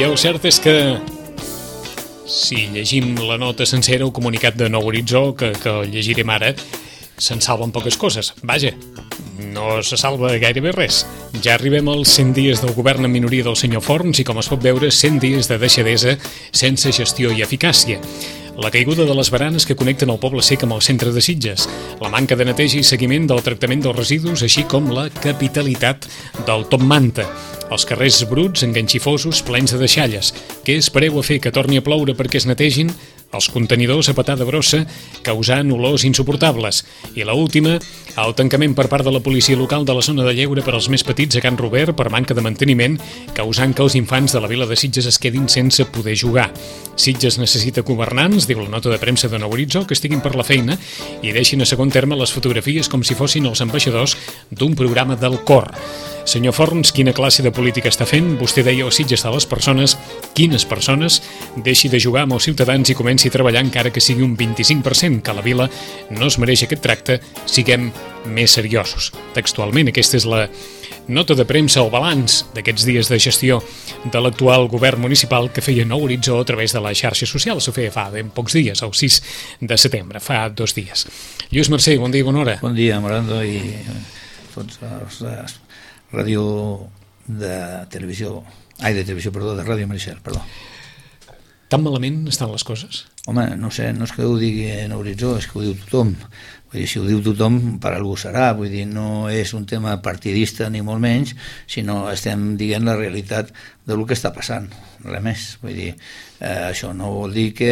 I el cert és que si llegim la nota sencera, el comunicat de Nou Horitzó, que el llegirem ara, se'n salven poques coses. Vaja, no se salva gairebé res. Ja arribem als 100 dies del govern en minoria del senyor Forns i, com es pot veure, 100 dies de deixadesa sense gestió i eficàcia. La caiguda de les baranes que connecten el Poble Sec amb el centre de Sitges, la manca de neteja i seguiment del tractament dels residus, així com la capitalitat del Top Manta, els carrers bruts, enganxifosos, plens de deixalles. Què espereu a fer, que torni a ploure perquè es netegin? Els contenidors a patada brossa causant olors insuportables. I l'última, el tancament per part de la policia local de la zona de lleure per als més petits a Can Robert per manca de manteniment, causant que els infants de la vila de Sitges es quedin sense poder jugar. Sitges necessita governants, diu la nota de premsa de Nou Horitzó, que estiguin per la feina i deixin a segon terme les fotografies com si fossin els ambaixadors d'un programa del cor. Senyor Forns, quina classe de política està fent? Vostè deia el Sitges de les persones. Quines persones? Deixi de jugar amb els ciutadans i comenci a treballar encara que sigui un 25%, que la vila no es mereix aquest tracte, siguem més seriosos. Textualment, aquesta és la nota de premsa o balanç d'aquests dies de gestió de l'actual govern municipal que feia Nou Horitzó a través de les xarxes socials. Ho feia fa ben pocs dies, el 6 de setembre, fa 2 dies. Lluís Mercè, bon dia i bona hora. Bon dia, Morando, i tots els ràdio de televisió, de Ràdio Maricel, perdó. Tan malament estan les coses? Home, no sé, no és que ho digui Nou Horitzó, és que ho diu tothom. Vull dir, si ho diu tothom, per algú serà. Vull dir, no és un tema partidista ni molt menys, sinó estem dient la realitat del que està passant, res més. Vull dir, això no vol dir que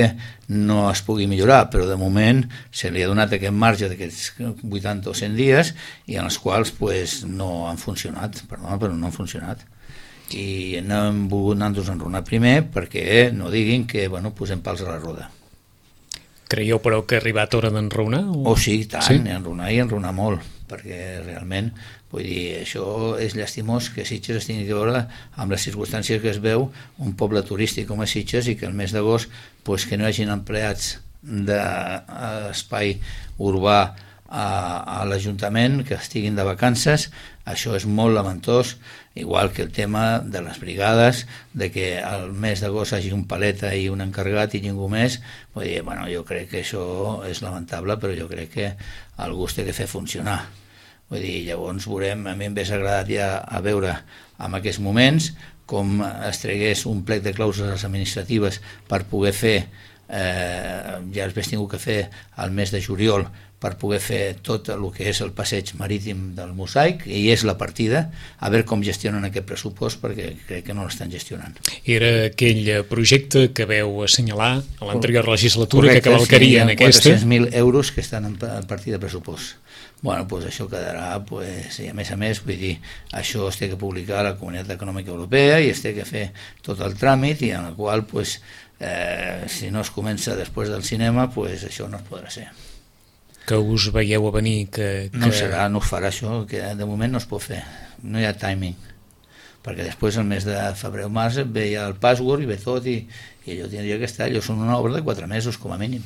no es pugui millorar, però de moment se li ha donat aquest marge d'aquests 80 o 100 dies i en els quals pues, no han funcionat, perdona, però no han funcionat. I no hem volgut anar-nos a enronar primer perquè no diguin que posem pals a la roda. Creieu, però, que ha arribat hora d'enronar? Oh, sí, tant, sí? Enronar i enronar molt, perquè realment, vull dir, això és llastimós que Sitges es tingui que veure amb les circumstàncies que es veu un poble turístic com a Sitges i que el mes d'agost pues, que no hi hagin empleats d'espai urbà a l'Ajuntament, que estiguin de vacances, això és molt lamentós, igual que el tema de les brigades, de que al mes d'agost hagi un paleta i un encarregat i ningú més. Vull dir, jo crec que això és lamentable, però jo crec que algú es té que fer funcionar. Vull dir, llavors veurem, a mi m'hagués agradat ja a veure en aquests moments com es tregués un plec de clàusules administratives per poder fer, ja els hagués tingut que fer al mes de juliol, per poder fer tot el que és el passeig marítim del Mosaic, i és la partida, a veure com gestionen aquest pressupost, perquè crec que no l'estan gestionant. Era aquell projecte que veu assenyalar a l'anterior legislatura. Correcte, que cavalcaria en aquesta. 400.000 euros que estan en partida de pressupost. Doncs això quedarà, i a més, vull dir, això es té que publicar a la Comunitat Econòmica Europea i es té que fer tot el tràmit, i en el qual, si no es comença després del cinema, això no es podrà ser. Que us veieu a venir que... No serà, no es farà això, que de moment no es pot fer, no hi ha timing, perquè després el mes de febrer o març ve ja el password i ve tot, i allò tindria que estar, allò són una obra de 4 mesos com a mínim.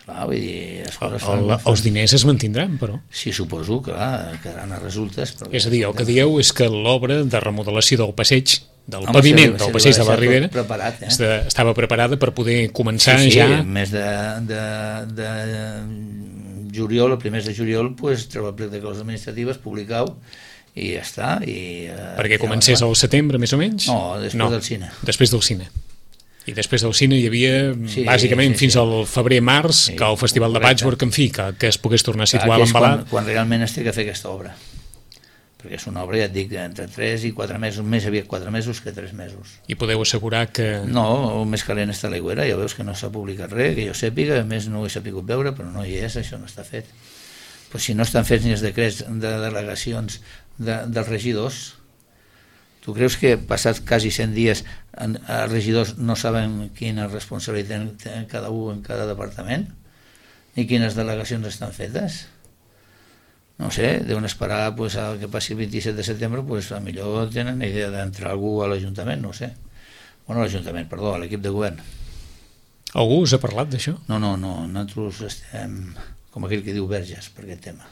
Clar, vull dir, els diners es mantindran, però? Sí, suposo, clar, quedaran a resultes. És a dir, el que dieu és que l'obra de remodelació del passeig, del paviment del passeig de la Ribera, estava preparada per poder començar ja... Sí, el mes de juliol, el primer de juliol, treu el plec de clàusules administratives, publicau, i ja està. Perquè comencés al setembre, més o menys? No, després del cine. Després del cine. I després del cine hi havia, bàsicament, fins al febrer-març, que el Festival de Patchwork, en fi, que es pogués tornar a situar a l'embalat. Quan realment es té que fer aquesta obra. Perquè és una obra, ja et dic, entre 3 i 4 mesos, més aviat 4 mesos que 3 mesos. I podeu assegurar que... No, el més calent està a l'aigüera, ja veus que no s'ha publicat res, que jo sàpiga, a més no ho he sapigut veure, però no hi és, això no està fet. Però si no estan fets ni els decrets de delegacions dels regidors, tu creus que passats quasi 100 dies els regidors no saben quina responsabilitat té cada un en cada departament? Ni quines delegacions estan fetes? No sé, deuen esperar que passi el 27 de setembre, a millor tenen idea d'entrar algú a l'Ajuntament, no sé. Bueno, l'Ajuntament, perdó, a l'equip de govern. Algú us ha parlat d'això? No, nosaltres estem com aquell que diu verges per aquest tema.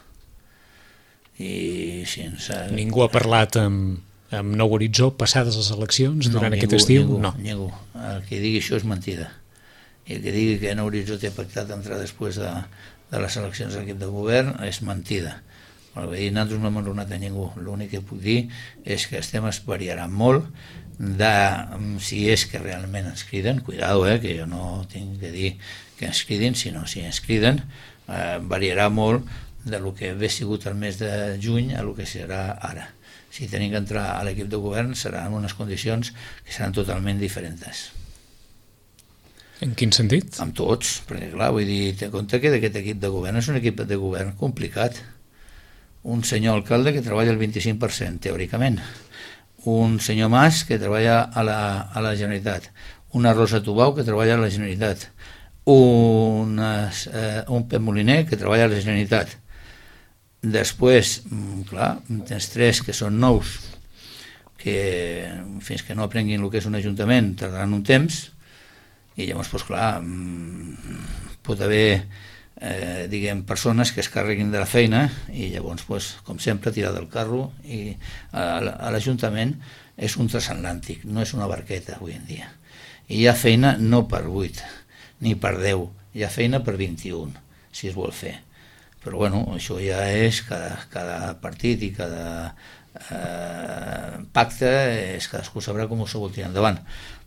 I si ens... Ningú ha parlat amb amb Nou Horitzó passades les eleccions durant aquest estiu? Ningú. El que digui això és mentida. I el que digui que Nou Horitzó té pactat entrar després de les eleccions a l'equip de govern és mentida. Nosaltres no hem enronat a ningú. L'únic que puc dir és que els temes variaran molt de si és que realment ens criden, cuidado, que jo no tinc que dir que ens cridin, sinó si ens criden, variarà molt de lo que hauria sigut el mes de juny a lo que serà ara. Si tenim que entrar a l'equip de govern serà en unes condicions que seran totalment diferents. En quin sentit? Amb tots, perquè clar, vull dir, té en compte que aquest equip de govern és un equip de govern complicat. Un senyor alcalde que treballa el 25%, teòricament. Un senyor Mas que treballa a la Generalitat. Una Rosa Tubau que treballa a la Generalitat. Un Pep Moliner que treballa a la Generalitat. Després, clar, tens 3 que són nous, que fins que no aprenguin el que és un ajuntament tardaran un temps, i llavors, doncs, clar, pot haver persones que es carreguin de la feina i llavors, com sempre, tirar del carro. I l'Ajuntament és un transatlàntic, no és una barqueta avui en dia, i hi ha feina no per 8 ni per 10, hi ha feina per 21 si es vol fer, però bueno, això ja és cada partit i cada pacte, cadascú sabrà com s'ho vol tirar endavant.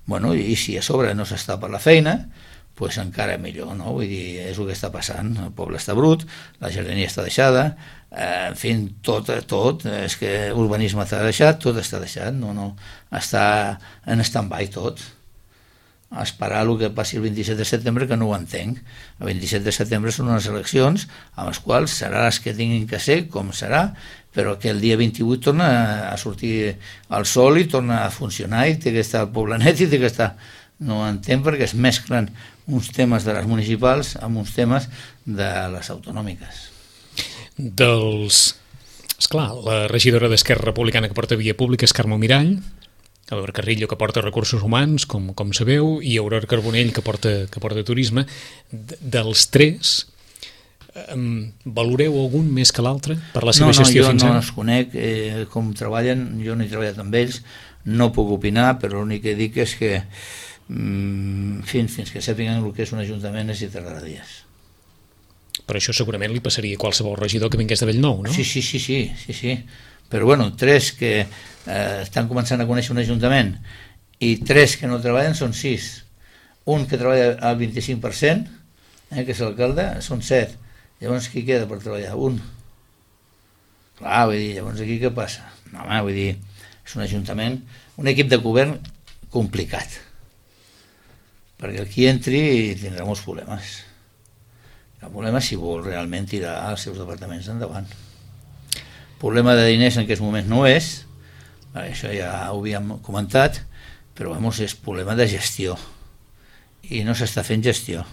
Bueno, i si a sobre no s'està per la feina, pues encara millor, no? Vull dir, és el que està passant, el poble està brut, la jardineria està deixada, en fi, tot, és que l'urbanisme està deixat, tot està deixat, no, està en stand-by tot. A esperar el que passi el 27 de setembre, que no ho entenc. El 27 de setembre són unes eleccions amb les quals serà les que tinguin que ser, com serà, però que el dia 28 torna a sortir el sol i torna a funcionar i té que estar el poble net i té que estar... No entenc perquè es mesclen uns temes de les municipals amb uns temes de les autonòmiques. Esclar, la regidora d'Esquerra Republicana que porta Via Pública és Carme Mirall, Albert Carrillo que porta Recursos Humans, com sabeu, i Aurora Carbonell que porta Turisme. Dels 3, valoreu algun més que l'altre per la seva gestió fins ara? No els conec, com treballen, jo no he treballat amb ells, no puc opinar, però l'únic que dic és que fins que sàpiguen el que és un ajuntament és i tardarà dies. Però això segurament li passaria a qualsevol regidor que vingués de Bellnou, no? Sí. Però bueno, 3 que estan començant a conèixer un ajuntament i 3 que no treballen són 6. Un que treballa al 25%, que és l'alcalde, són 7. Llavors qui queda per treballar? Un. Clar, vull dir, llavors aquí què passa? No, home, vull dir, és un ajuntament, un equip de govern complicat, perquè el qui entri tindrà molts problemes. El problema si vol realment tirar els seus departaments endavant. Problema de diners en aquest moment no és, això ja ho havíem comentat, però és problema de gestió i no s'està fent gestió.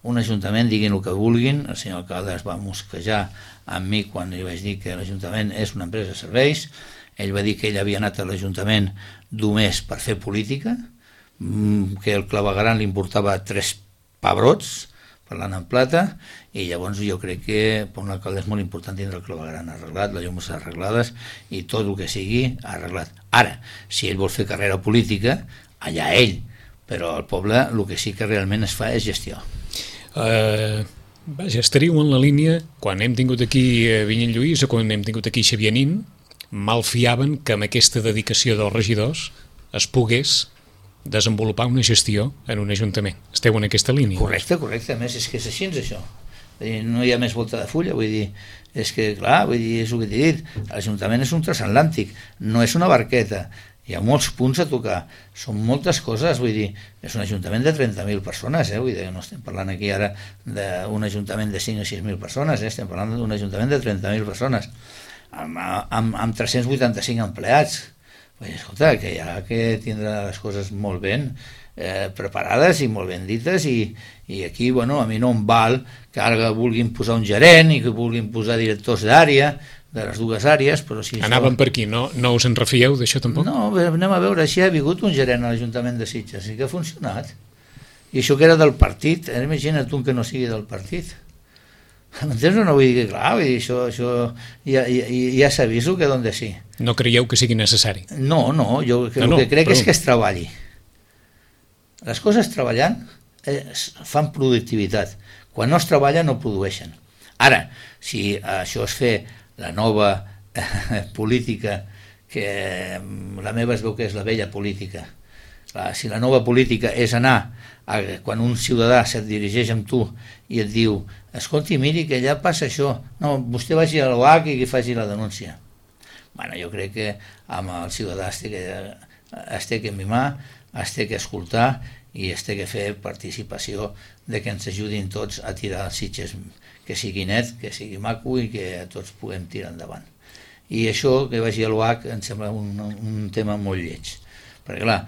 Un ajuntament, diguin el que vulguin, el senyor alcalde es va mosquejar amb mi quan li vaig dir que l'Ajuntament és una empresa de serveis. Ell va dir que ell havia anat a l'Ajuntament només per fer política, que el clavegueram li importava 3 pebrots, parlant en plata, i llavors jo crec que per un alcalde és molt important tindre el clavegueram arreglat, les llums arreglades i tot el que sigui arreglat. Ara, si ell vol fer carrera política, allà ell, però al poble el que sí que realment es fa és gestió. Vaja, estaríeu en la línia, quan hem tingut aquí Vinyent Lluís o quan hem tingut aquí Xavier Nin, malfiaven que amb aquesta dedicació dels regidors es pogués desenvolupar una gestió en un ajuntament. Esteu en aquesta línia? Correcte, a més és que és així això. No hi ha més volta de fulla, vull dir, és que clar, vull dir, és el que t'he dit, l'Ajuntament és un transatlàntic, no és una barqueta, hi ha molts punts a tocar, són moltes coses, vull dir, és un ajuntament de 30.000 persones, vull dir, no estem parlant aquí ara d'un ajuntament de 5 o 6.000 persones, estem parlant d'un ajuntament de 30.000 persones, amb 385 empleats. Escolta, que hi ha que tindre les coses molt ben preparades i molt ben dites, i aquí, bueno, a mi no em val que ara vulguin posar un gerent i que vulguin posar directors d'àrea, de les dues àrees, però si Anàvem per aquí, no us en refieu d'això tampoc? No, anem a veure, si ha vingut un gerent a l'Ajuntament de Sitges i que ha funcionat, i això que era del partit, imagina't un que no sigui del partit. M'entens o no? Vull dir, clar, vull dir, això ja s'aviso que d'on de sí. No creieu que sigui necessari? No, jo el que crec és que es treballi. Les coses treballant fan productivitat. Quan no es treballa no produeixen. Ara, si això es fer la nova política, que la meva es veu que és la vella política, si la nova política és anar quan un ciutadà se't dirigeix amb tu i et diu, escolti, miri que allà passa això, no, vostè vagi a l'OAC i que faci la denúncia. Bueno, jo crec que amb el ciutadà es té que mimar, es té que escoltar i es té que fer participació de que ens ajudin tots a tirar els Sitges, que sigui net, que sigui maco i que tots puguem tirar endavant. I això, que vagi a l'OAC, em sembla un tema molt lleig. Perquè clar,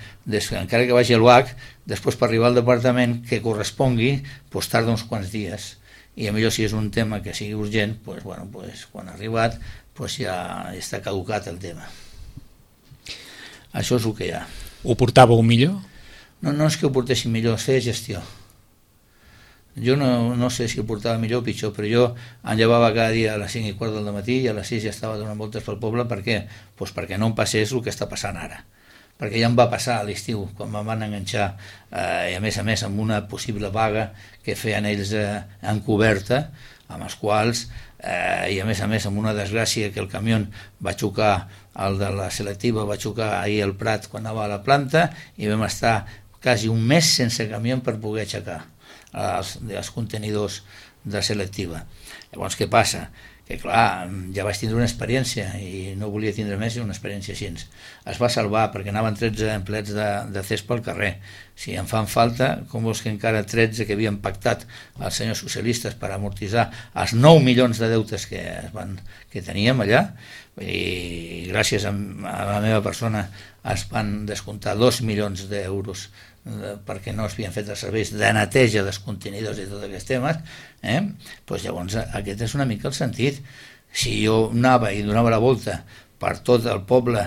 encara que vagi a l'UAC, després per arribar al departament que correspongui, doncs tarda uns quants dies. I a millor si és un tema que sigui urgent, doncs quan ha arribat ja està caducat el tema. Això és el que hi ha. Ho portàveu millor? No és que ho portéssim millor, es feia gestió. Jo no sé si ho portava millor o pitjor, però jo em llevava cada dia a les 5:15 del matí i a les 6 ja estava donant voltes pel poble. Per què? Doncs perquè no em passés el que està passant ara. Perquè ja em va passar a l'estiu, quan em van enganxar, i a més amb una possible vaga que feien ells encoberta, amb els quals, i a més amb una desgràcia que el camió va xocar, el de la selectiva va xocar ahir al Prat quan anava a la planta, i vam estar quasi un mes sense camió per poder aixecar els contenidors de selectiva. Llavors, què passa? Que clar, ja vaig tindre una experiència i no volia tindre més una experiència així. Es va salvar perquè anaven 13 empleats de CESPA al carrer. Si en fan falta, com vols que encara 13 que havien pactat els senyors socialistes per amortitzar els 9 milions de deutes que teníem allà, i gràcies a la meva persona es van descomptar 2 milions d'euros perquè no es havien fet els serveis de neteja dels contenidors i tots aquests temes, doncs llavors aquest és una mica el sentit. Si jo anava i donava la volta per tot el poble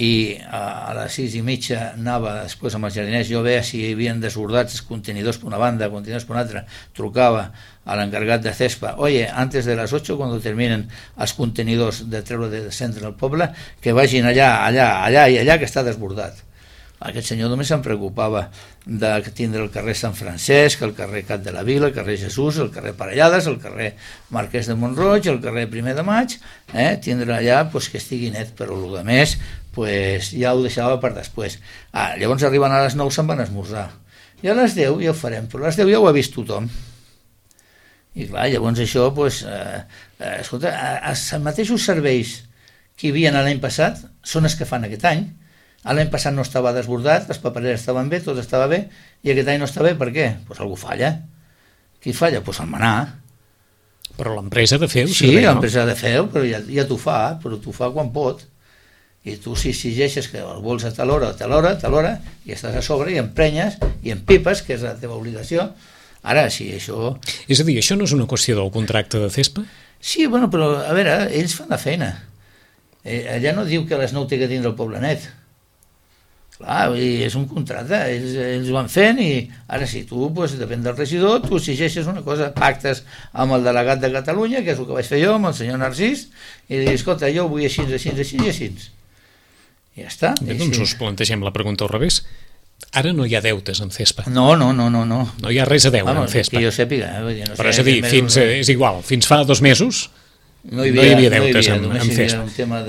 i a les 6:30 anava després amb els jardiners, jo veia si hi havien desbordats els contenidors per una banda, contenidors per una altra, trucava a l'encargat de CESPA, oye, antes de las 8, quan terminen els contenidors de treure de centre del poble, que vagin allà i allà, que està desbordat. Aquest senyor només se'n preocupava de tindre el carrer Sant Francesc, el carrer Cap de la Vila, el carrer Jesús, el carrer Parellades, el carrer Marquès de Montroig, el carrer 1 de Maig, tindre allà que estigui net, però el que més ja ho deixava per després. Llavors arriben a les 9, se'n van esmorzar. I a les 10 ja ho farem, però a les 10 ja ho ha vist tothom. I clar, llavors això, escolta, els mateixos serveis que hi havia l'any passat són els que fan aquest any. L'any passat no estava desbordat, les papereres estaven bé, tot estava bé, i aquest any no està bé, per què? Doncs algú falla. Qui falla? Doncs el Manà. Però l'empresa ha de fer-ho. Sí, l'empresa ha de fer-ho, però ja t'ho fa, però t'ho fa quan pot. I tu si exigeixes que el vols a tal hora, i estàs a sobre i emprenyes i empipes, que és la teva obligació. Ara, si això... És a dir, això no és una qüestió del contracte de CESPA? Sí, però, a veure, ells fan la feina. Allà no diu que a les 9 té que tindre el poble net. Clar, és un contracte, ells ho van fent i ara si tu, depèn del regidor, tu exigeixes una cosa, pactes amb el delegat de Catalunya, que és el que vaig fer jo amb el senyor Narcís, i li dic, escolta, jo vull així. I ja està. Bé, doncs us plantegem la pregunta al revés. Ara no hi ha deutes amb CESPA. No. No hi ha res a deure amb CESPA. Que jo sàpiga. Però és a dir, és igual, fins fa 2 mesos no hi havia deutes amb CESPA. Un tema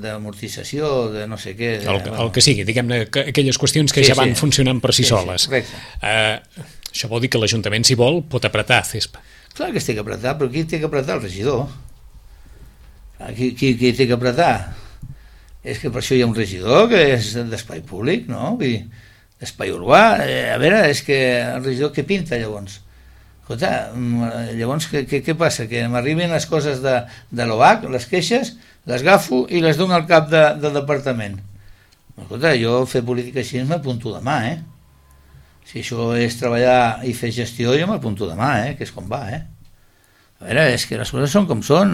d'amortització, de no sé què. El que sigui, diguem-ne, aquelles qüestions que ja van funcionant per si soles. Això vol dir que l'Ajuntament, si vol, pot apretar CESPA. Clar que es té que apretar, però qui té que apretar? El regidor. Qui té que apretar? És que per això hi ha un regidor que és d'espai públic, no? D'espai urbà. A veure, és que el regidor què pinta llavors? Escolta, llavors què passa? Que m'arriben les coses de l'OAC, les queixes, les agafo i les dono al cap del departament. Escolta, jo fer política així m'apunto demà, Si això és treballar i fer gestió, jo m'apunto demà, que és com va, A veure, és que les coses són com són,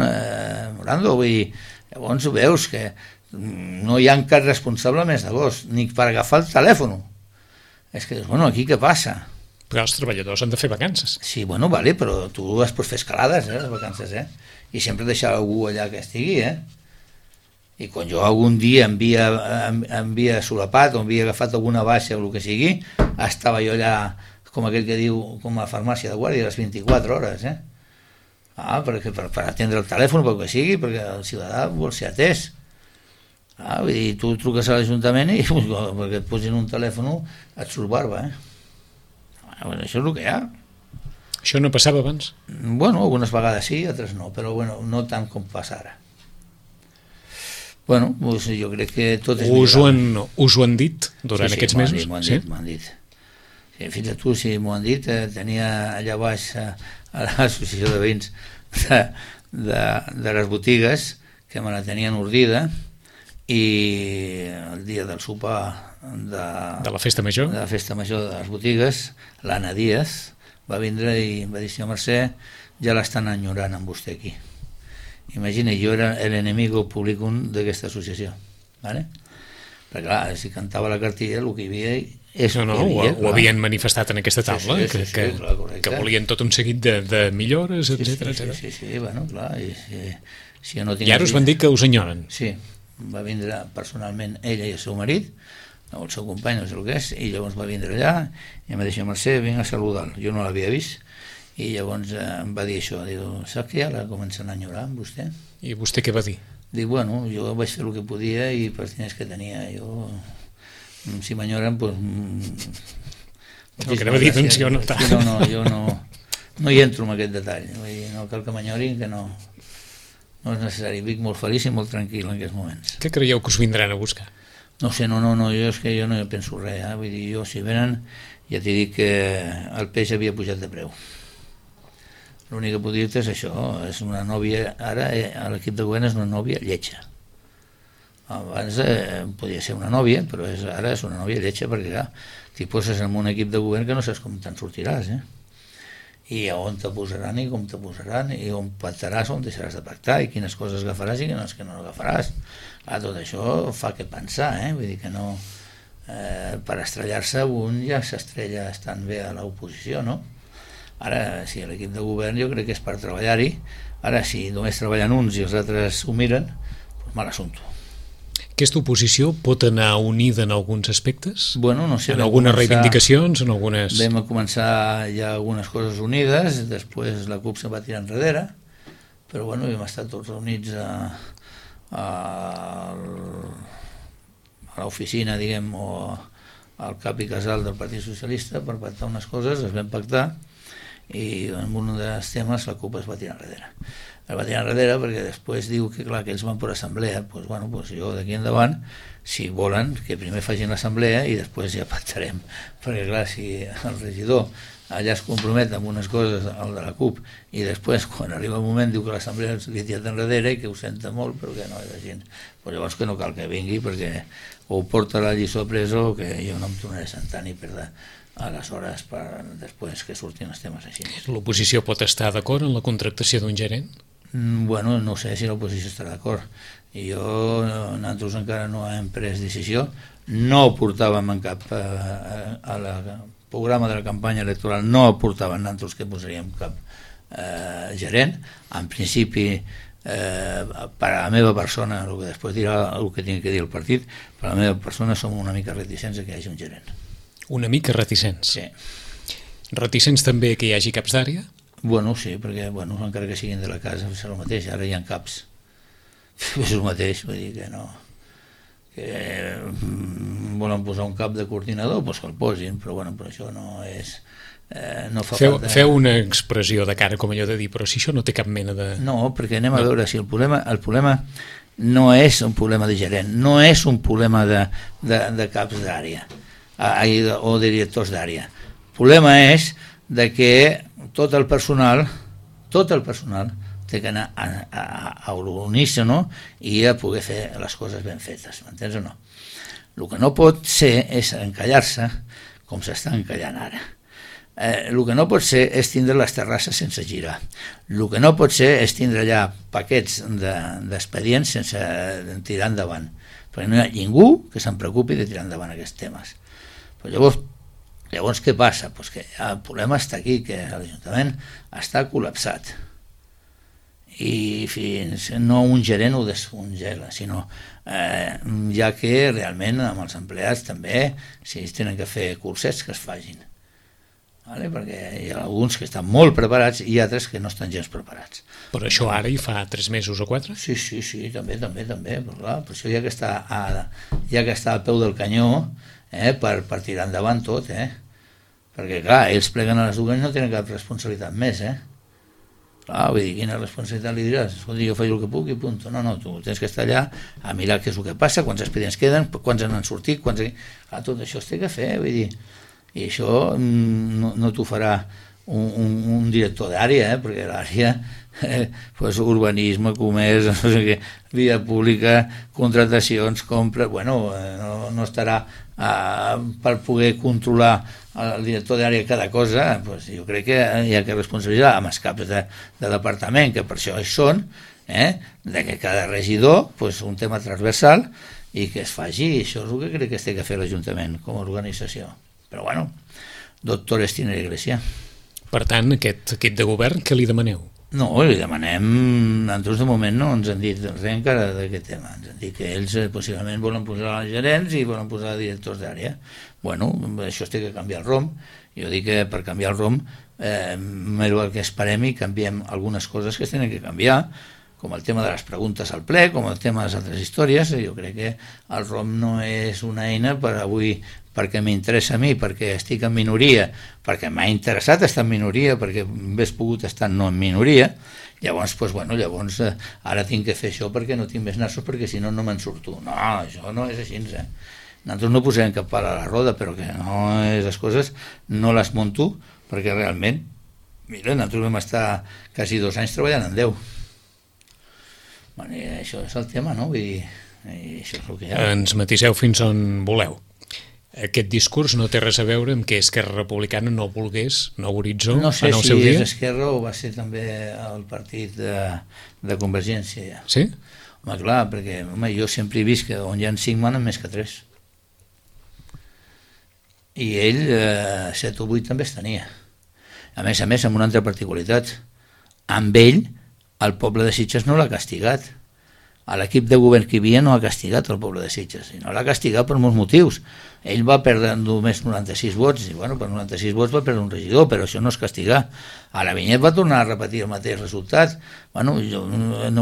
Morando, llavors veus que no hi ha cap responsable més d'agost, ni per agafar el telèfon. És que, bueno, aquí què passa? Però els treballadors han de fer vacances. Sí, bueno, vale, però tu es pots fer escalades, les vacances, i sempre deixar algú allà que estigui, i quan jo algun dia havia solapat o havia agafat alguna baixa o el que sigui, estava jo allà, com aquell que diu, com a farmàcia de guàrdia, les 24 hores, per atendre el telèfon, pel que sigui, perquè el ciutadà vol ser atès. Vull dir, tu truques a l'Ajuntament i perquè et posin un telèfon et surt barba, Bueno, això és el que hi ha. Això no passava abans? Bueno, algunes vegades sí, altres no, però bueno, no tant com passa ara. Bueno, doncs jo crec que tot és millorable. Us ho han dit durant aquests mesos? M'ho han dit. Sí, fins a tu, sí, m'ho han dit. Tenia allà baix a l'associació de veïns de les botigues que me la tenien ordida, i el dia del sopar de la festa major de les botigues, l'Anna Díaz va vindre i em va dir: senyor Mercè, ja l'estan enyorant amb vostè aquí. Imagina, jo era l'enemigo publicum d'aquesta associació, ¿vale? Perquè clar, si cantava la cartilla el que hi havia ho havien manifestat en aquesta taula, que volien tot un seguit de millores, etc. Sí, bueno, clar, si no i ara us van dir que us enyoren. Sí, va vindre personalment ella i el seu marit, o el seu company, no sé el que és, i llavors va vindre allà i em va dir: Mercè, vinc a saludar-lo. Jo no l'havia vist, i llavors em va dir això, diu: saps que ja la comencen a enyorar amb vostè? I vostè què va dir? Dic: bueno, jo vaig fer el que podia i per diners que tenia, jo, si m'enyoren, doncs... El que anava a dir, doncs jo no tant. Jo no hi entro en aquest detall, vull dir, no cal que m'enyorin, que no és necessari. Vic molt feliç i molt tranquil en aquests moments. Què creieu que us vindran a buscar? No sé, jo és que jo no penso res, vull dir, jo si venen ja t'he dit que el peix havia pujat de preu. L'únic que puc dir-te és això, és una nòvia, ara l'equip de govern és una nòvia lletja. Abans podia ser una nòvia, però ara és una nòvia lletja, perquè clar, t'hi poses en un equip de govern que no saps com te'n sortiràs, i a on te posaran i com te posaran, i on pactaràs, on deixaràs de pactar, i quines coses agafaràs i quines que no agafaràs. Clar, tot això fa que pensar, vull dir que no... per estrellar-se un ja s'estrella estant bé a l'oposició, no? Ara, si l'equip de govern jo crec que és per treballar-hi. Ara, si només treballen uns i els altres ho miren, doncs mal assumpte. Aquesta oposició pot anar unida en alguns aspectes? Bueno, no sé. En algunes reivindicacions, en algunes... Vam començar ja algunes coses unides, després la CUP se va tirar enrere, però bueno, hem estat tots reunits a l'oficina, diguem, o al cap i casal del Partit Socialista per pactar unes coses, es vam pactar, i en un dels temes la CUP es va tirar enrere. Es va tirar enrere perquè després diu que clar, que ells van per assemblea, doncs bueno, jo d'aquí endavant, si volen, que primer facin l'assemblea i després ja pactarem, perquè clar, si el regidor allà es compromet amb unes coses, el de la CUP, i després quan arriba el moment diu que l'assemblea li ha tirat enrere i que ho senta molt però que no és així, però llavors que no cal que vingui perquè o porta la lliçó presa o que jo no em tornaré a sentar ni perdre aleshores per després que surtin els temes així. L'oposició pot estar d'acord en la contractació d'un gerent? Bueno, no sé si l'oposició estarà d'acord. Nosaltres encara no hem pres decisió, no ho portàvem en cap al programa de la campanya electoral, no ho portàvem nosaltres que posaríem cap gerent. En principi, per a la meva persona, el que després dirà el que tingui que dir el partit, per a la meva persona som una mica reticents que hi hagi un gerent. Una mica reticents? Sí. Reticents també que hi hagi caps d'àrea? Bueno, sí, perquè encara que siguin de la casa és el mateix, ara hi ha caps. És el mateix, vull dir que no... que volen posar un cap de coordinador, doncs que el posin, però bueno, però això no és... no fa falta... Feu una expressió de cara com allò de dir, però si això no té cap mena de... No, perquè anem a veure si el problema no és un problema de gerent, no és un problema de caps d'àrea o de directors d'àrea. El problema és de que tot el personal té que anar a l'unísono i a poder fer les coses ben fetes, m'entens o no? El que no pot ser és encallar-se com s'està encallant ara. El que no pot ser és tindre les terrasses sense girar. El que no pot ser és tindre allà paquets d'expedients sense tirar endavant, perquè no hi ha ningú que se'n preocupi de tirar endavant aquests temes. Però llavors Llavors, què passa? Pues que el problema està aquí, que l'Ajuntament està col·lapsat. I fins no un gerent ho descongela, sinó ja que realment amb els empleats també, si ells tenen que fer cursets, que es facin. Vale? Perquè hi ha alguns que estan molt preparats i altres que no estan gens preparats. Però això ara hi fa 3 mesos o 4? Sí, també, però clar, per això ja que està al peu del canyó, per tirar endavant tot, perquè clar, ells pleguen a les dues i no tenen cap responsabilitat més, clar, vull dir, quina responsabilitat li diràs? Escolta, jo faig el que puc i punt. No, tu tens que estar allà a mirar què és el que passa, quants expedients queden, quants han sortit, clar, tot això es té que fer, vull dir, i això no t'ho farà un director d'àrea, perquè l'àrea pues, urbanisme, comerç, no sé què, via pública, contratacions, compres, no estarà per poder controlar el director d'àrea cada cosa. Pues jo crec que hi ha que responsabilitzar amb els caps de departament, que per això hi són, de que cada regidor, pues, un tema transversal, i que es faci. Això és el que crec que es té que fer l'Ajuntament com a organització. Però doctores tiene la Iglesia. Per tant, aquest equip de govern, què li demaneu? No, li demanem, nosaltres de moment no ens han dit res encara d'aquest tema, ens han dit que ells possiblement volen posar gerents i volen posar directors d'àrea. Això es té que canviar el ROM. Jo dic que per canviar el ROM el que esperem i canviem algunes coses que es tenen que canviar, com el tema de les preguntes al ple, com el tema de les altres històries. Jo crec que el ROM no és una eina per avui perquè m'interessa a mi, perquè estic en minoria, perquè m'ha interessat estar en minoria, perquè hauria pogut estar no en minoria. Llavors, ara tinc que fer això perquè no tinc més nassos, perquè si no me'n surto. No, això no és així, Nosaltres no posem cap pal a la roda, però que no és les coses, no les monto, perquè realment, mira, nosaltres vam estar quasi 2 anys treballant en 10. I això és el tema, no? Vull dir, això és el que hi ha. Ens matiseu fins on voleu. Aquest discurs no té res a veure amb que Esquerra Republicana no volgués Nou Horitzó en el seu dia? No sé si és Esquerra o va ser també el partit de Convergència. Ja. Sí? Home, clar, perquè jo sempre he vist que on hi ha 5 manen més que 3. I ell 7 o 8 també es tenia. A més, amb una altra particularitat. Amb ell, el poble de Sitges no l'ha castigat. L'equip de govern que hi havia no ha castigat el poble de Sitges, i no l'ha castigat per molts motius. Ell va perdre només 96 vots, i per 96 vots va perdre un regidor, però això no és castigar. A la Vinyet va tornar a repetir el mateix resultat. Nou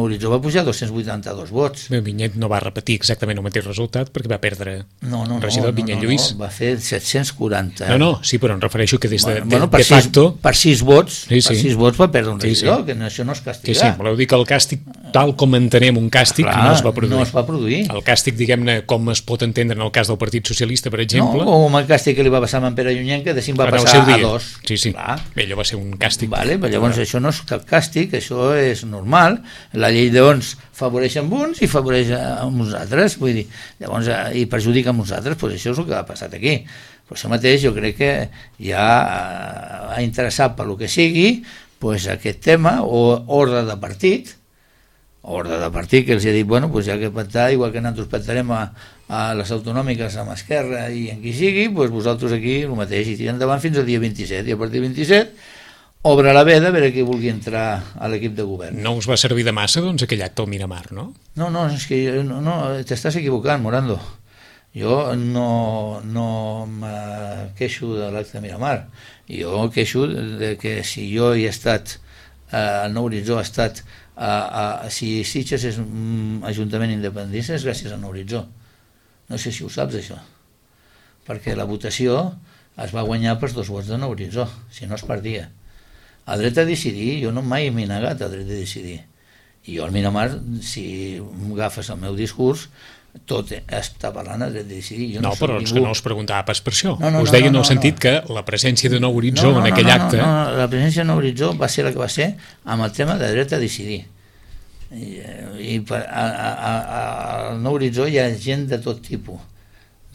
Horitzó va pujar 282 vots. Vinyet no va repetir exactament el mateix resultat perquè va perdre el regidor Vinyet Lluís. Va fer 740. Sí, però em refereixo que des de facto... Per 6 vots, per 6 vots va perdre un regidor, que això no és castigar. Sí, voleu dir que el càstig, tal com entenem un càstig, no es va produir. No es va produir. El càstig, diguem-ne, com es pot entendre en el cas del Partit Socialista, per exemple... No, com el càstig que li va passar a en Pere Llunyenca, de 5 va passar a 2. Sí. Allò va ser un càstig. Però llavors això no és cap càstig, això és normal. La llei d'ons favoreix amb uns i favoreix amb uns altres, vull dir, llavors, i perjudica amb uns altres, doncs això és el que ha passat aquí. Per això mateix jo crec que ja ha interessat per lo que sigui aquest tema, o ordre de partit, que els ha dit, ja que pactar, igual que nosaltres pactarem a les autonòmiques amb Esquerra i en qui sigui, vosaltres aquí el mateix, i tiren endavant fins al dia 27, i a partir del 27 obre la veda a veure qui vulgui entrar a l'equip de govern. No us va servir de massa, doncs, aquell acte al Miramar, no? No, és que t'estàs equivocant, Morando. Jo no me queixo de l'acte de Miramar. Jo queixo de que si jo he estat, el Nou Horitzó ha estat, si Sitges és un ajuntament independentista és gràcies al Nou Horitzó. No sé si ho saps, això. Perquè la votació es va guanyar pels 2 vots de Nou Horitzó, si no es perdia. El dret a decidir, jo no mai m'he negat al dret a decidir. I jo al Miramar, si agafes el meu discurs, tot està parlant del dret a decidir. Però és que no us preguntava pas per això. Us deia en el sentit que la presència de Nou Horitzó en aquell acte... No, la presència de Nou Horitzó va ser la que va ser amb el tema de dret a decidir. I al Nou Horitzó hi ha gent de tot tipus,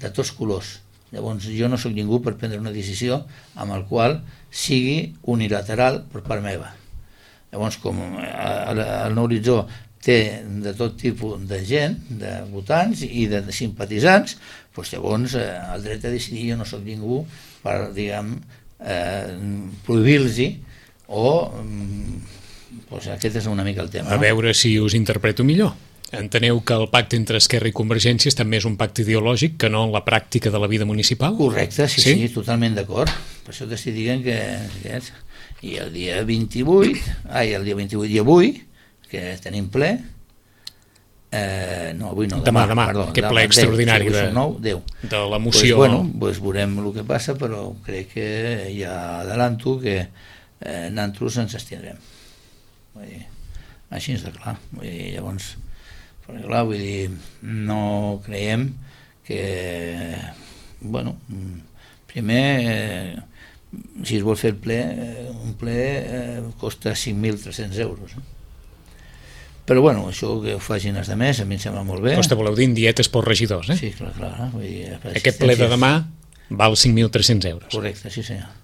de tots colors. Llavors jo no sóc ningú per prendre una decisió amb el qual sigui unilateral per part meva. Llavors, com el Nou Horitzó té de tot tipus de gent, de votants i de simpatitzants, doncs llavors el dret a decidir jo no soc ningú per, diguem, prohibir-los o doncs aquest és una mica el tema. A veure si us interpreto millor. Enteneu que el pacte entre Esquerra i Convergència també és un pacte ideològic que no en la pràctica de la vida municipal? Correcte, sí, totalment d'acord. Per això t'estic dient que i el dia 28, i avui, que tenim ple, no, avui no, demà, perdó, aquest ple extraordinari de la moció. Doncs veurem el que passa, però crec que ja adelanto que nosaltres ens abstindrem. Així és de clar. Llavors, perquè clar, vull dir, no creiem que, bueno, primer, si es vol fer el ple, un ple costa 5.300 euros. Però bueno, això que ho facin els altres a mi em sembla molt bé. Costa, voleu dir, en dietes pels regidors, eh? Sí, clar. Vull dir, aquest ple de demà val 5.300 euros. Correcte, sí senyor.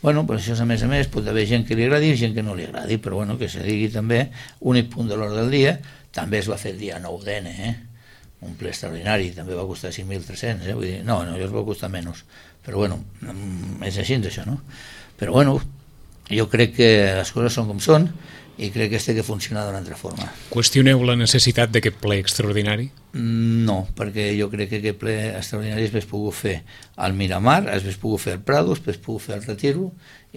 Bueno, però això a més pot haver gent que li agradi i gent que no li agradi, però bueno, que se digui també, únic punt de l'ordre del dia, també es va fer el dia 9 d'N, un ple extraordinari, també va costar 5.300, vull dir, no, jo es va costar menys, però bueno, és així això, no? Però bueno, jo crec que les coses són com són, i crec que té que funcionar d'una altra forma. Qüestioneu la necessitat d'aquest ple extraordinari? No, perquè jo crec que aquest ple extraordinari es pogut fer al Miramar, es pogut fer al Prado, es pogut fer al Retiro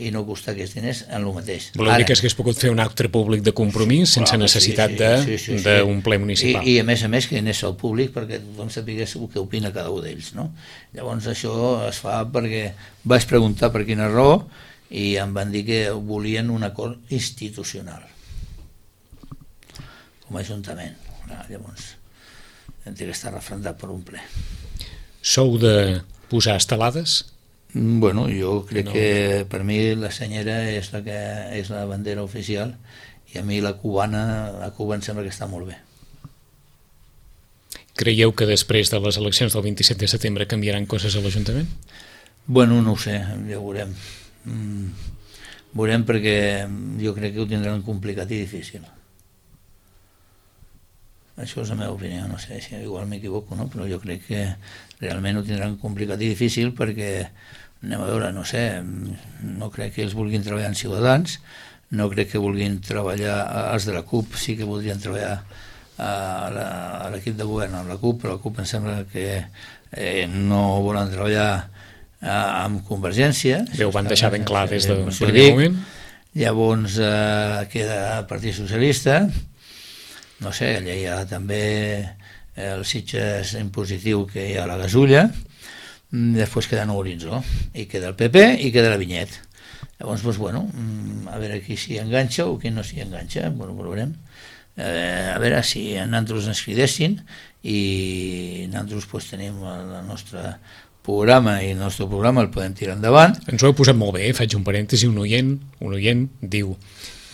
i no costar aquests diners en el mateix. Voleu dir que s'hagués pogut fer un acte públic de compromís sense necessitat d'un ple municipal? I a més que anés al públic perquè tothom sapigués què opina cada un d'ells, no? Llavors això es fa perquè vaig preguntar per quina raó i em van dir que volien un acord institucional com a ajuntament. Llavors hem de estar refrendat per un ple. Sou de posar estelades? Bueno, jo crec que per mi la senyera és la que és la bandera oficial i a mi la Cuba em sembla que està molt bé. Creieu que després de les eleccions del 27 de setembre canviaran coses a l'Ajuntament? Bueno, no ho sé, ja ho veurem. Veurem perquè jo crec que ho tindran complicat i difícil. Això és la meva opinió, no sé si igual m'equivoco, no? Però jo crec que realment ho tindran complicat i difícil perquè, anem a veure, no sé, no crec que ells vulguin treballar en Ciutadans, no crec que vulguin treballar, els de la CUP sí que voldrien treballar a l'equip de govern amb la CUP, però la CUP em sembla que no volen treballar amb Convergència. Bé, ho van deixar ben clar des del primer moment. Llavors queda el Partit Socialista, no sé, allà hi ha també el Sitges impositiu que hi ha a la Gasulla, després queda Nou Horitzó, i queda el PP i queda la Vinyet. Llavors, doncs, bueno, a veure qui s'hi enganxa o qui no s'hi enganxa, bueno, ho veurem. A veure si nosaltres ens cridessin i nosaltres doncs, tenim el nostre programa i el nostre programa el podem tirar endavant. Ens ho heu posat molt bé, faig un parèntesi, un oient diu: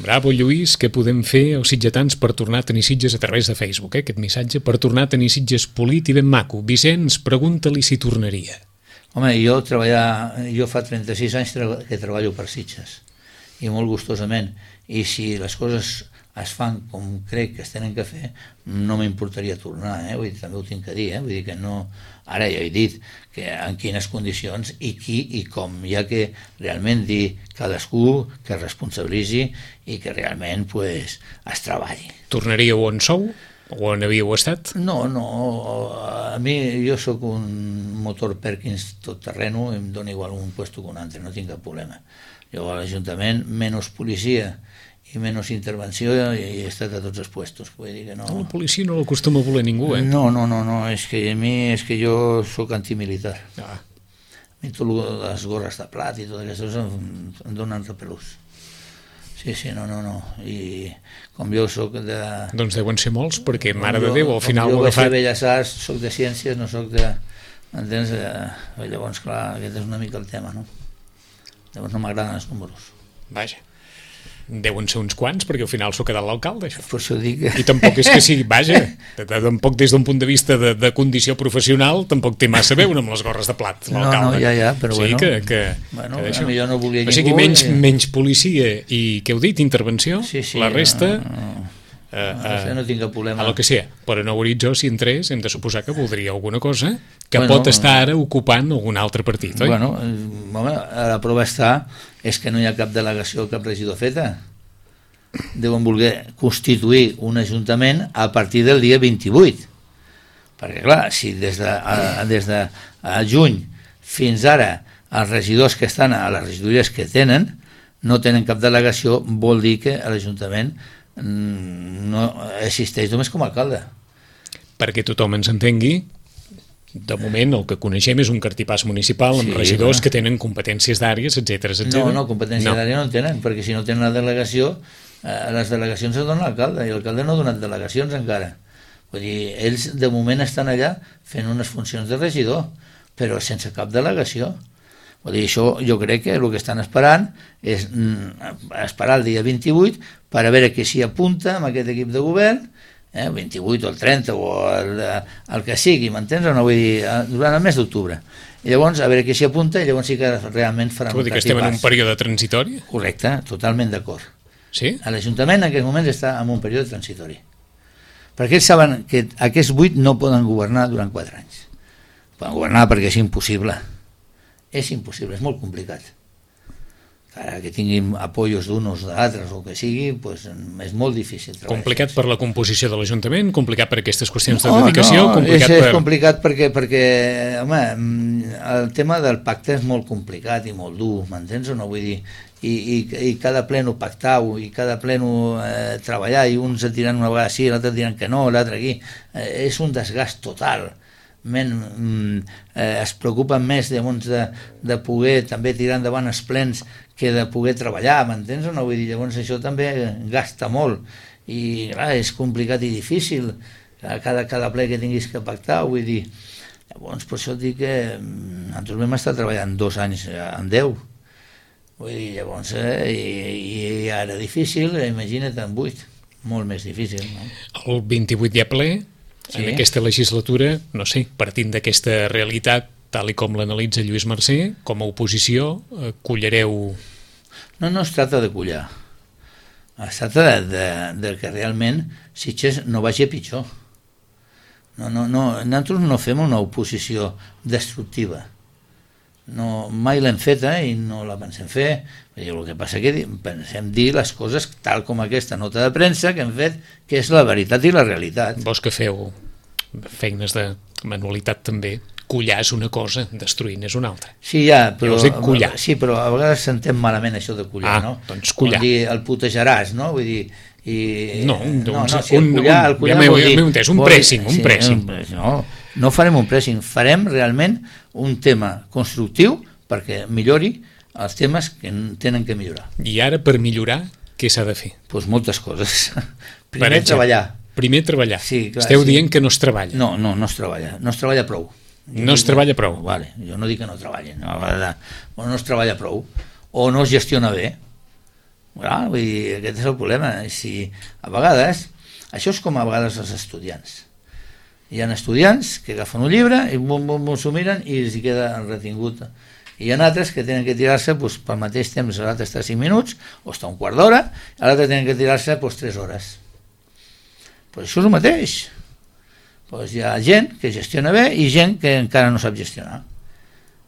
bravo Lluís, què podem fer els sitgetans per tornar a tenir Sitges a través de Facebook, aquest missatge, per tornar a tenir Sitges polit i ben maco. Vicenç, pregunta-li si tornaria. Home, jo fa 36 anys que treballo per Sitges i molt gustosament, i si les coses es fan com crec que es tenen que fer, no m'importaria tornar, vull dir, també ho tinc que dir, vull dir que no, ara ja he dit que en quines condicions i qui i com, ja que realment dir cadascú que es responsabilitzi i que realment pues, es treballi. Tornaríeu on sou? O on havíeu estat? No, a mi jo sóc un motor Perkins tot terreno i em dona igual un puesto que un altre, no tinc cap problema. Jo a l'Ajuntament, menys policia i menys intervenció i he estat a tots els puestos. Vull dir que no... La policia no l'acostuma a voler ningú, eh? No, és que jo sóc antimilitar. A mi tot les gorres de plat i tot aquestes em donen repelús. Sí, no. I com jo sóc de... Doncs deuen ser molts, perquè, mare de Déu, al final ho ha agafat... Jo vaig fer Belles Arts, sóc de ciències, no sóc de... Entens? Llavors, clar, aquest és una mica el tema, no? Llavors no m'agraden els números. Vaja. Deuen ser uns quants, perquè al final s'ho ha quedat l'alcalde, això. Per això dic... I tampoc és que sigui, vaja, tampoc des d'un punt de vista de condició professional, tampoc té massa a veure amb les gorres de plat, l'alcalde. No, ja, però bueno... Bueno, jo no volia ningú... O sigui, menys policia i, què heu dit, intervenció, sí, la resta... no tinc cap problema. A lo que sigui, però en Horitzó, si entrés, hem de suposar que voldria alguna cosa que pot estar ara ocupant algun altre partit, oi? Bueno, home, la prova és que no hi ha cap delegació, cap regidor feta. Deuen voler constituir un ajuntament a partir del dia 28. Perquè, clar, si des de juny fins ara els regidors que estan a les regidories que tenen no tenen cap delegació, vol dir que l'Ajuntament no existeix només com a alcalde. Perquè tothom ens entengui, de moment el que coneixem és un cartipàs municipal amb regidors que tenen competències d'àrees, etc. No, competències d'àrea no en tenen, perquè si no tenen la delegació, les delegacions es donen a l'alcalde, i l'alcalde no ha donat delegacions encara. Vull dir, ells de moment estan allà fent unes funcions de regidor, però sense cap delegació. Vull dir, això jo crec que el que estan esperant és esperar el dia 28 per a veure qui s'hi apunta amb aquest equip de govern, 28 o el 30 o el que sigui, m'entens o no? Vull dir, durant el mes d'octubre. I llavors, a veure qui s'hi apunta, i llavors sí que realment faran un cartipàs. Vol dir que estem en un període transitori? Correcte, totalment d'acord. Sí? L'Ajuntament en aquest moment està en un període transitori. Perquè ells saben que aquests 8 no poden governar durant 4 anys. Poden governar perquè és impossible. És impossible, és molt complicat. Ara que tinguin apoyos d'uns o d'altres o que sigui, pues, és molt difícil treballar. Complicat per la composició de l'Ajuntament, complicat per aquestes qüestions de dedicació, complicat és complicat perquè home, el tema del pacte és molt complicat i molt dur, m'entens o no? Vull dir, i cada pleno pactar-ho, i cada pleno treballar, i uns et diran una vegada sí, l'altre et diran que no, l'altre aquí, és un desgast total. Es preocupen més de poder també tirar endavant els plens que de poder treballar, m'entens o no? Vull dir, llavors això també gasta molt i clar, és complicat i difícil cada ple que tinguis que pactar, vull dir, llavors per això et dic que nosaltres vam estar treballant 2 anys en 10, vull dir, llavors i ara difícil, imagina't en 8, molt més difícil, no? El 28 hi ha ple. Sí. En aquesta legislatura, no sé, partint d'aquesta realitat, tal i com l'analitza Lluís Mercè, com a oposició, collareu... No es tracta de collar. Es tracta de que realment Sitges no vagi a pitjor. Nosaltres no fem una oposició destructiva. No, mai l'hem feta i no la pensem fer. El que passa que pensem dir les coses tal com aquesta nota de premsa que hem fet, que és la veritat i la realitat. Vos que feu feines de manualitat també, collar és una cosa, destruint és una altra. Sí, però a vegades s'entén malament això de collar, no? Doncs collar. Vol dir, el putejaràs, no? Vull dir, un pressing. No farem un pressing, farem realment un tema constructiu perquè millori els temes que tenen que millorar. I ara, per millorar, què s'ha de fer? Doncs moltes coses. Primer treballar. Sí, clar, esteu dient que no es treballa. No es treballa. No es treballa prou. No es treballa prou. Vale, jo no dic que no treballin. No es treballa prou. O no es gestiona bé. Vull dir, aquest és el problema. Si a vegades, això és com a vegades els estudiants. Hi ha estudiants que agafen un llibre i s'ho miren i els queda retingut. I hi ha altres que tenen que tirar-se pel mateix temps, l'altre està 5 minuts o està un quart d'hora, i l'altre tenen que tirar-se 3 hores. Però això és el mateix. Hi ha gent que gestiona bé i gent que encara no sap gestionar.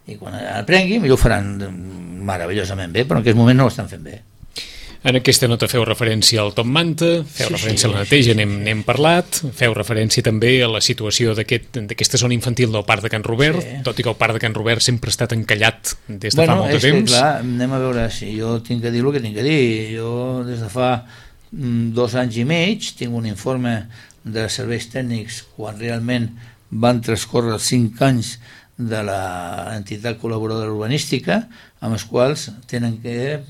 I quan aprengui, millor ho faran meravellosament bé, però en aquest moment no ho estan fent bé. En aquesta nota feu referència al Top Manta, feu referència a la neteja, n'hem parlat, feu referència també a la situació d'aquesta zona infantil del Parc de Can Robert, tot i que el Parc de Can Robert sempre ha estat encallat des de fa molt de temps. Clar, anem a veure si jo tinc que dir el que tinc que dir. Jo des de fa 2 anys i mig tinc un informe de serveis tècnics quan realment van transcórrer 5 anys de l'entitat col·laboradora urbanística, amb els quals tenen que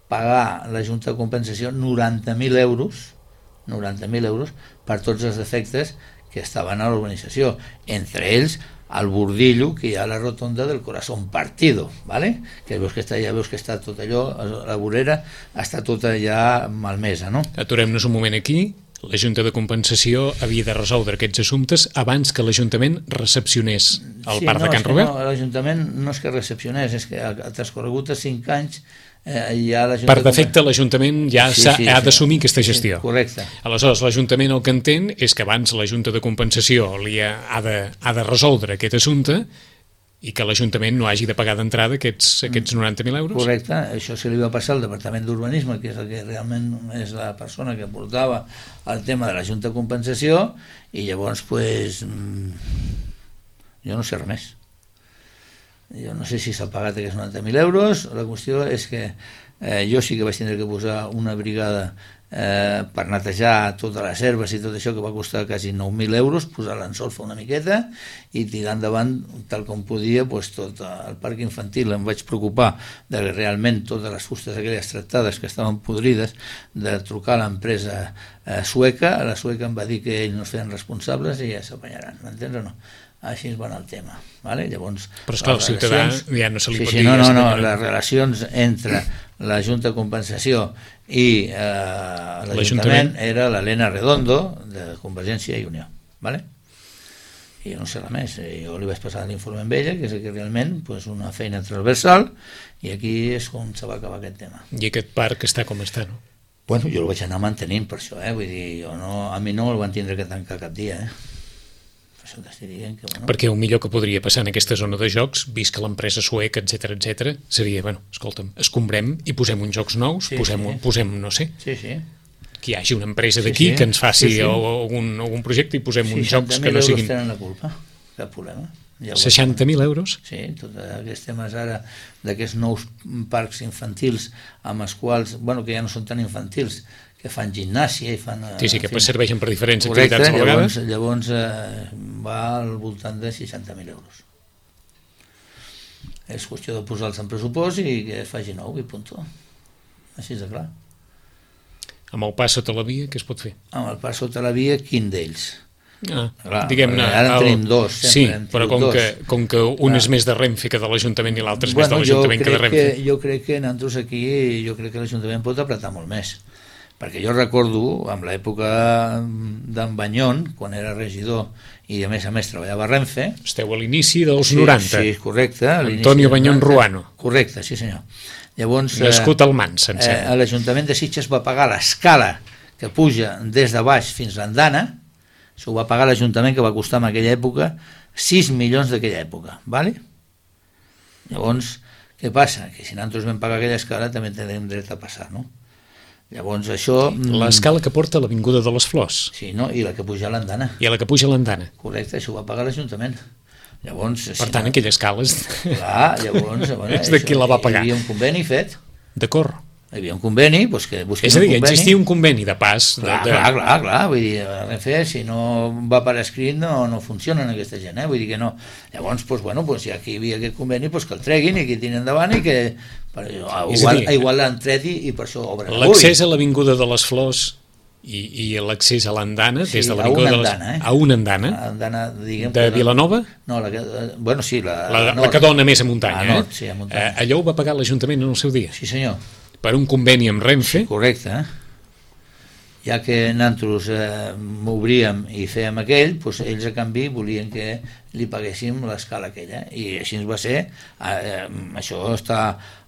pagar la Junta de Compensació 90.000 euros per tots els defectes que estaven a l'urbanització, entre ells el bordillo que hi ha a la rotonda del Corazón Partido, ¿vale? Que veus que està tot allò, la vorera està tota ja malmesa, no? Aturem-nos un moment aquí. la Junta de Compensació havia de resoldre aquests assumptes abans que l'Ajuntament recepcionés el parc de Can Robert? No, l'Ajuntament no és que recepcionés, és que ha transcorregut 5 anys ja la Junta... Per defecte l'Ajuntament ja ha d'assumir aquesta gestió. Correcte. Aleshores, l'Ajuntament el que entén és que abans la Junta de Compensació ha de resoldre aquest assumpte i que l'Ajuntament no hagi de pagar d'entrada aquests 90.000 euros? Correcte, això se li va passar al Departament d'Urbanisme, que és el que realment és la persona que portava el tema de la Junta de Compensació, i llavors, pues, jo no sé res més. Jo no sé si s'ha pagat aquests 90.000 euros, la qüestió és que jo sí que vaig tindre que posar una brigada per netejar totes les herbes i tot això, que va costar quasi 9.000 euros, posar-la en solfa una miqueta i tirar endavant tal com podia pues, tot el parc infantil. Em vaig preocupar de que realment totes les fustes aquelles tractades que estaven podrides, de trucar a l'empresa sueca. La sueca em va dir que ells no es feien responsables i ja s'apanyaran, m'entens o no? Així es va anar el tema, ¿vale? Llavors, però esclar, el ciutadà ja no se li pot dir... No, les relacions entre la Junta de Compensació i l'Ajuntament era l'Helena Redondo, de Convergència i Unió, ¿vale? I jo no sé res més, jo li vaig passar l'informe amb ella, que és que realment pues, una feina transversal, i aquí és com se va acabar aquest tema. I aquest parc està com està, no? Bueno, jo el vaig anar mantenint per això, vull dir, a mi no el van tindre que tancar cap dia, això t'estic dient que, bueno... Perquè el millor que podria passar en aquesta zona de jocs, vist que l'empresa sueca, etc, seria, bueno, escolta'm, escombrem i posem uns jocs nous, posem, no sé, que hi hagi una empresa d'aquí que ens faci algun projecte i posem uns jocs que no siguin... 60.000 euros tenen la culpa, cap problema. 60.000 euros? Sí, tots aquests temes ara d'aquests nous parcs infantils amb els quals, bueno, que ja no són tan infantils, que fan gimnàsia i fan... Sí, que serveixen per diferents activitats a la vegada. Llavors va al voltant de 60.000 euros. És qüestió de posar-los en pressupost i que faci nou i punt. Així de clar. Amb el pas sota la via, què es pot fer? Amb el pas sota la via, quin d'ells? Diguem-ne... Ara en tenim dos. Sí, però com que un és més de Renfe que de l'Ajuntament i l'altre és més de l'Ajuntament que de Renfe. Jo crec que nosaltres aquí, jo crec que l'Ajuntament pot apretar molt més. Perquè jo recordo, en l'època d'en Banyon, quan era regidor i a més treballava a Renfe... Esteu a l'inici dels 90. Sí, correcte. Antonio Banyon Ruano. Correcte, sí senyor. Llavors, nascut al Mans, em sembla. L'Ajuntament de Sitges va pagar l'escala que puja des de baix fins a l'andana, això ho va pagar l'Ajuntament, que va costar en aquella època 6 milions d'aquella època, ¿vale? Llavors, què passa? Que si nosaltres vam pagar aquella escala també tenim dret a passar, no? Llavors això... L'escala que porta a l'Avinguda de les Flors. Sí, no? I la que puja a l'andana. I la que puja a l'andana. Correcte, això ho va pagar l'Ajuntament. Llavors... Per tant, aquella escala... Clar, llavors... és de qui la va pagar. Hi havia un conveni fet. D'acord. Hi havia un conveni, doncs que busquin un conveni. És a dir, existia un conveni de pas... Clar, vull dir, Renfe, si no va per escrit no funcionen aquesta gent, vull dir que no. Llavors, doncs, ja que hi havia aquest conveni, doncs que el treguin i que tirin endavant i que... Igual l'han tret i per això obren avui. L'accés a l'Avinguda de les Flors i l'accés a l'andana, des de l'Avinguda de les... A una andana? De Vilanova? No, bueno, sí, la que dona més a muntanya. Sí, a muntanya. Allò ho va pagar l'Ajuntament en el seu dia? Sí, senyor. Per un conveni amb Renfe? Correcte. Ja que nosaltres m'obríem i fèiem aquell, doncs ells a canvi volien que li paguéssim l'escala aquella, i així ens va ser. Això està,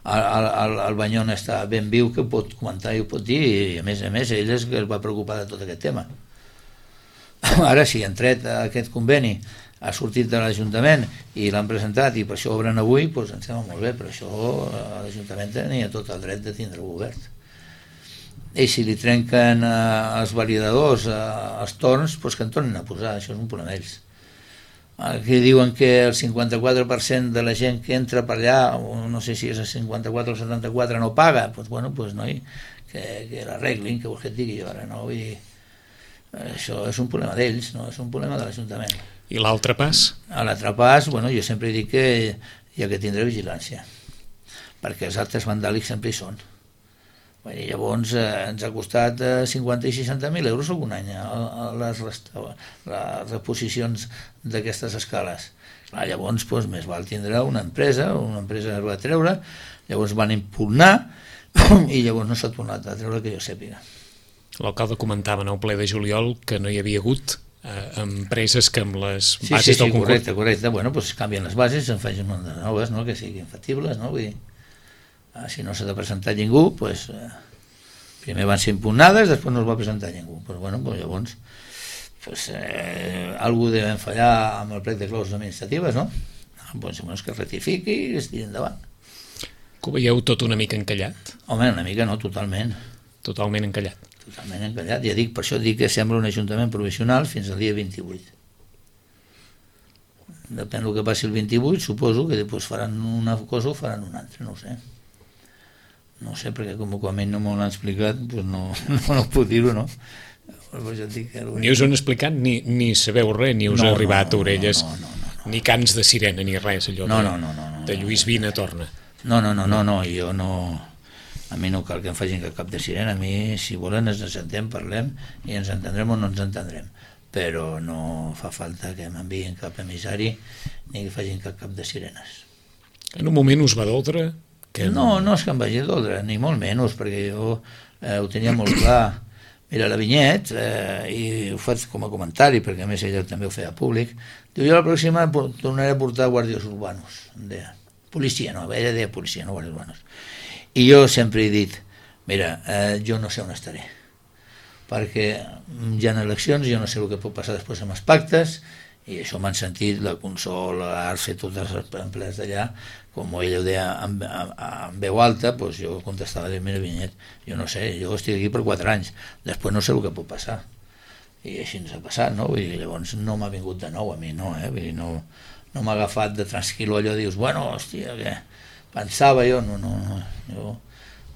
el Banyon està ben viu, que pot comentar i ho pot dir, i a més ell és que es va preocupar de tot aquest tema. Ara si han tret aquest conveni, ha sortit de l'Ajuntament i l'han presentat i per això obren avui, doncs em sembla molt bé, però això l'Ajuntament tenia tot el dret de tindre-ho obert. I si li trenquen els validadors, els torns, doncs que en tornin a posar, això és un problema d'ells. Aquí diuen que el 54% de la gent que entra per allà, no sé si és el 54 o el 74, no paga, doncs bueno, noi, que l'arreglin, que vols que et digui jo ara, no? Vull dir, això és un problema d'ells, no és un problema de l'Ajuntament. I l'altre pas? L'altre pas, bueno, jo sempre dic que hi ha que tindre vigilància, perquè els actes vandàlics sempre hi són. Llavors ens ha costat 50 i 60.000 euros algun any les reposicions d'aquestes escales. Llavors més val tindre una empresa es va treure, llavors van impugnar i llavors no s'ha tornat a treure que jo sàpiga. L'alcalde comentava en el ple de juliol que no hi havia hagut empreses que amb les bases del concurs... Correcte. Bueno, doncs canvien les bases, en facin unes noves, no?, que siguin factibles, no? Vull dir, si no s'ha de presentar ningú, doncs primer van ser impugnades, després no es va presentar ningú. Però bueno, doncs llavors algú devem fallar amb el plec de clauses administratives, no? Doncs que es rectifiqui i es tiri endavant. Que ho veieu tot una mica encallat? Home, una mica no, totalment. Totalment encallat. Totalment encallat. Ja dic, per això dic que sembla un ajuntament provisional fins al dia 28. Depèn del que passi el 28, suposo que després faran una cosa o faran una altra, no ho sé. No sé, perquè com a mi no m'ho han explicat, doncs no puc dir-ho, no? Ni us ho han explicat, ni sabeu res, ni us ha arribat a orelles, ni cants de sirena, ni res, allò de Lluís Vina torna. No, jo no... A mi no cal que em facin cap de sirena, a mi, si volen, ens sentem, parlem, i ens entendrem o no ens entendrem. Però no fa falta que m'enviïn cap emissari ni que facin cap de sirenes. En un moment us va doldre? No és que em vagi doldre, ni molt menys, perquè jo ho tenia molt clar. Mira, la Vinyet, i ho faig com a comentari, perquè a més ella també ho feia públic, diu, jo la pròxima tornaré a portar guàrdies urbanos, em deia. Policia, no, ella deia policia, no guàrdies urbanos. I jo sempre he dit, mira, jo no sé on estaré, perquè hi ha eleccions, jo no sé el que pot passar després amb els pactes, i això m'han sentit la Consol, l'Arce, totes les empleats d'allà, com ella ho deia en veu alta, doncs jo contestava, mira Vinyet, jo no sé, jo estic aquí per 4 anys, després no sé el que pot passar, i així ens ha passat, no? I llavors no m'ha vingut de nou a mi, no, vull dir, no m'ha agafat de tranquil·lo allò, dius, bueno, hòstia, què? Pensava jo, jo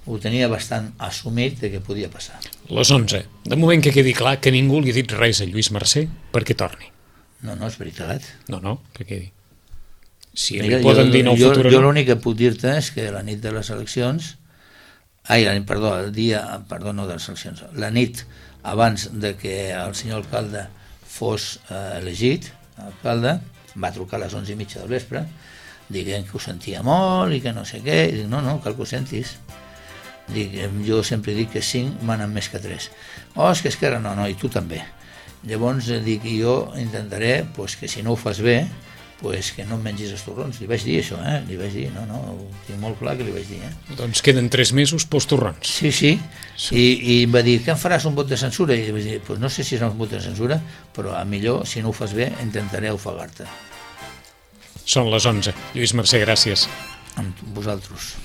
ho tenia bastant assumit de què podia passar. Les 11. De moment que quedi clar que ningú li ha dit res a Lluís Mercè perquè torni. No, és veritat. No, que quedi. Si li poden dir no al futur... Jo l'únic que puc dir-te és que la nit de les eleccions... el dia de les eleccions. La nit abans de que el senyor alcalde fos elegit, l'alcalde va trucar a les 11:30 del vespre dient que ho sentia molt i que no sé què, i dic, no, cal que ho sentis. Dic, jo sempre dic que 5 manen més que 3. És que Esquerra no, i tu també. Llavors dic, jo intentaré que si no ho fas bé, que no em mengis els torrons. Li vaig dir això, li vaig dir, ho tinc molt clar que li vaig dir. Doncs queden 3 mesos pels torrons. Sí. I em va dir, què em faràs, un vot de censura? I li vaig dir, no sé si serà un vot de censura, però a millor, si no ho fas bé, intentaré ofegar-te. Són les 11. Lluís Mercè, gràcies. Amb vosaltres.